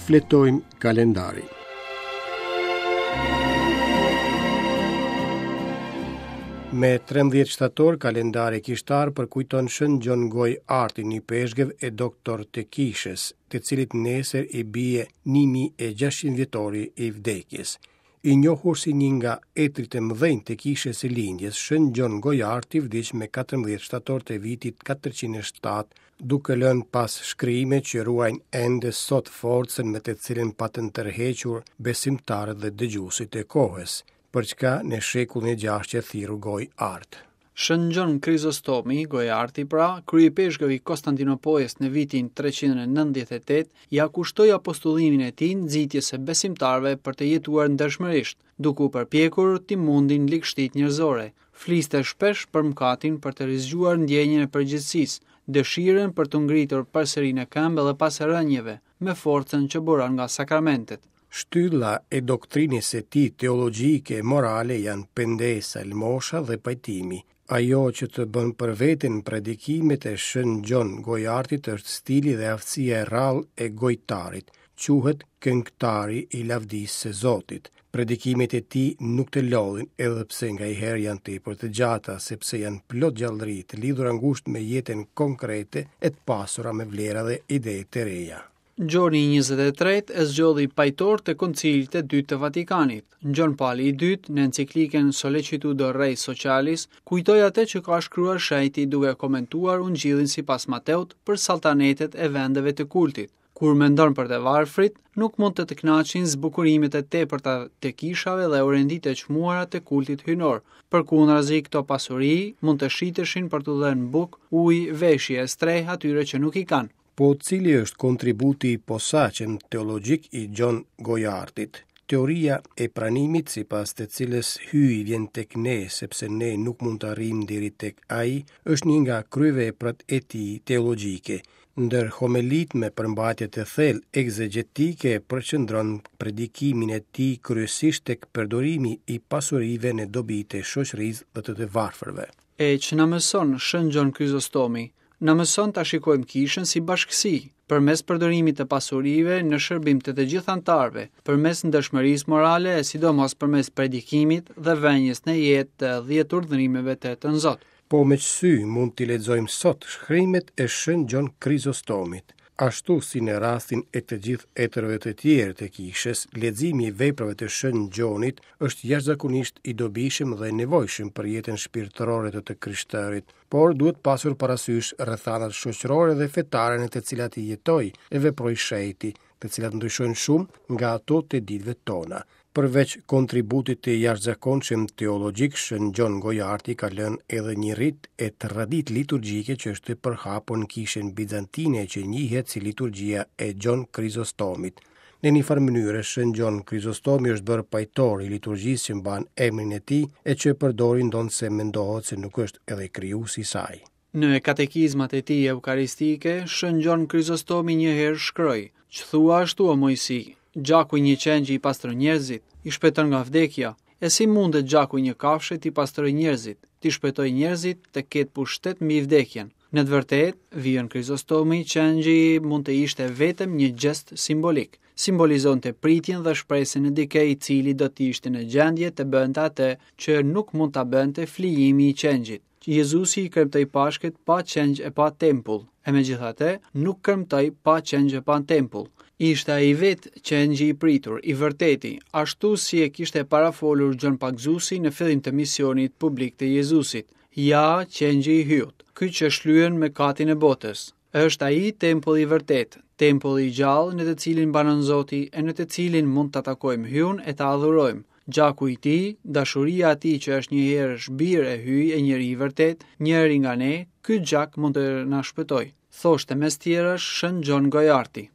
Shfletojmë kalendarin. Me 13 shtator, kalendari kishtar përkujton Shën Gjon Gojëartin, ipeshkëv e doktor të kishës, të cilit nesër i bie 1600 vjetori i vdekjes. I njohur si një nga etërit e mëdhenj të Kishës së Lindjes, Shën Gjon Gojarti vdiq me 14 shtator të vitit 407, duke lënë pas shkrime që ruajnë ende sot forcën me të cilën patën tërhequr besimtarët dhe dëgjuesit e kohës, për çka në shekullin e gjashtë qe thirrur Gojëartë. Shën Gjon Krizostomi, Gojarti pra, kryeipeshkëv i Konstantinopojës në vitin 398, ia kushtoi apostullimin e tij nxitjes së besimtarëve për të jetuar ndershmërisht, duke u përpjekur t'i mundin ligështitë njerëzore. Fliste shpesh për mëkatin për të rizgjuar ndjenjën e përgjegjësisë, dëshirën për t'u ngritur përsëri në këmbë edhe pas rënieve, me forcën që buron nga sakramentet. Shtylla e doktrinës së tij teologjike e morale janë pendesa, lëmosha dhe pajtimi. Ajo që të bën për vete në predikimet e Shën Gjon Gojartit është stili dhe aftësia e rrallë e gojëtarit. Quhet këngëtari i lavdisë së Zotit. Predikimet e tij nuk të lodhin, edhe pse nganjëherë janë tepër të gjata, sepse janë plot gjallëri, të lidhura ngushtë me jetën konkrete e të pasura me vlera dhe ide të reja. Gjoni i 23 e zgjodhi pajtor të Koncilit të Dytë të Vatikanit. Gjon Pali i Dytë, në enciklikën Sollicitudo Rei Socialis, kujtoi atë që ka shkruar shenjti duke komentuar Ungjillin sipas Mateut për salltanetet e vendeve të kultit. Kur mendon për të varfrit, nuk mund të të kënaqin zbukurimet e tepërta të kishave dhe orenditë e çmuara të kultit hyjnor. Përkundrazi, këto pasuri mund të shiteshin për t'u dhënë bukë, ujë, veshje e strehë atyre që nuk i kanë. Po cili është kontributi i posaçëm teologjik i Gjon Gojartit? Teoria e pranimit sipas të cilës Hyji vjen tek ne sepse ne nuk mund të arrijmë deri tek ai, është një nga kryeveprat e tij teologjike. Ndër homelitë me përmbajtje të thellë ekzegjetike përqendron predikimin e tij kryesisht tek përdorimi i pasurive në dobi të shoqërisë dhe të të varfërve. E ç'na mëson Shën Gjon Krizostomi, Na mëson ta shikojmë kishën si bashkësi, përmes përdorimit të pasurive në shërbim të të gjithë anëtarëve, përmes ndershmërisë morale e sidomos përmes predikimit dhe vënies në jetë të dhjetë urdhërimeve të Tënzot. Po me ç'sy mund t'i lexojmë sot shkrimet e Shën Gjon Krizostomit? Ashtu si në rastin e të gjithë etërve të tjerë të kishës, leximi i veprave të Shën Gjonit është jashtëzakonisht i dobishëm dhe i nevojshëm për jetën shpirtërore të të krishterit. Por duhet pasur parasysh rrethanat shoqërore dhe fetare në të cilat jetoi e veproi shenjti, të cilat ndryshojnë shumë nga ato të ditëve tona. Përveç kontributit të jashtëzakonshëm teologjik, Shën Gjon Gojarti ka lënë edhe një rit e traditë liturgjike që është përhapur në kishën bizantine që njihet si liturgjia e Gjon Krizostomit. Në një farë mënyre, Shën Gjon Krizostomi është bërë pajtor i liturgjisë që mban emrin e tij e që e përdorin ndonëse mendohet se nuk është edhe krijuesi i saj. Në katekizmat e tij eukaristike, Shën Gjon Krizostomi një herë shkroi: Ç'thua ashtu o Moisi? Gjaku i një qengji i pastron njerëzit, i shpëton nga vdekja. E si mundet gjaku i një kafshe t'i pastrojë njerëzit, t'i shpëtojë njerëzit, të ketë pushtet mbi vdekjen? Në të vërtetë, vijon Krizostomi, qengji mund të ishte vetëm një gjest simbolik. Simbolizonte pritjen dhe shpresën në dikë i cili do të ishte në gjendje të bënte atë që nuk mund ta bënte flijimi i qengjit. Jezusi i kremtoi Pashkët pa qengj e pa tempull, e megjithatë nuk kremtoi pa qengj e pa tempull. Ishte ai vetë qengji i pritur, i vërteti, ashtu si e kishte parafolur Gjon Pagëzuesi në fillim të misionit publik të Jezusit. Ja, qengji i Hyut, ky që shlyen mëkatin e botës. Është ai tempulli i vërtetë, tempulli i gjallë në të cilin banon Zoti e në të cilin mund ta takojmë Hyun e ta adhurojmë. Gjaku i tij, dashuria e tij që është njëherësh bir e Hyj e njeri i vërtetë, njëri nga ne, ky gjak mund të na shpëtojë. Thoshte mes tjerash Shën Gjon Gojarti.